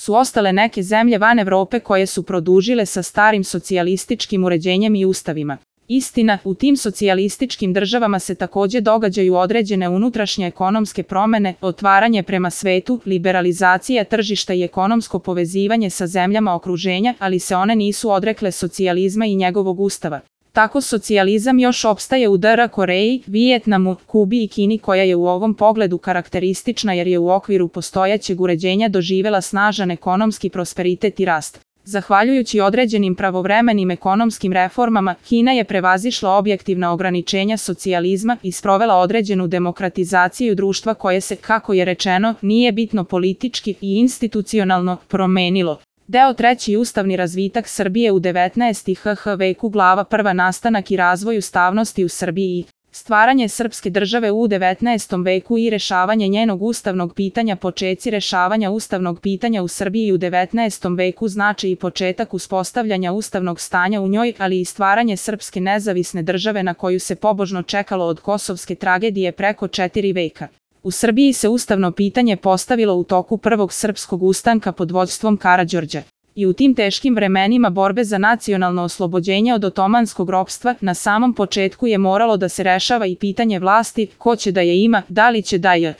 su ostale neke zemlje van Evrope koje su produžile sa starim socijalističkim uređenjem i ustavima. Istina, u tim socijalističkim državama se takođe događaju određene unutrašnje ekonomske promene, otvaranje prema svetu, liberalizacija tržišta i ekonomsko povezivanje sa zemljama okruženja, ali se one nisu odrekle socijalizma i njegovog ustava. Tako socijalizam još opstaje u DR Koreji, Vijetnamu, Kubi i Kini koja je u ovom pogledu karakteristična jer je u okviru postojećeg uređenja doživela snažan ekonomski prosperitet i rast. Zahvaljujući određenim pravovremenim ekonomskim reformama, Kina je prevazišla objektivna ograničenja socijalizma i sprovela određenu demokratizaciju društva koje se, kako je rečeno, nije bitno politički i institucionalno promenilo. Deo 3. Ustavni razvitak Srbije u 19. HH veku glava 1. Nastanak i razvoj ustavnosti u Srbiji. Stvaranje srpske države u 19. veku i rešavanje njenog ustavnog pitanja. Počeci rešavanja ustavnog pitanja u Srbiji u 19. veku znači i početak uspostavljanja ustavnog stanja u njoj, ali i stvaranje srpske nezavisne države na koju se pobožno čekalo od kosovske tragedije preko 4 veka. U Srbiji se ustavno pitanje postavilo u toku prvog srpskog ustanka pod vođstvom Karađorđa. I u tim teškim vremenima borbe za nacionalno oslobođenje od otomanskog ropstva, na samom početku je moralo da se rešava i pitanje vlasti, ko će da je ima, da li će da je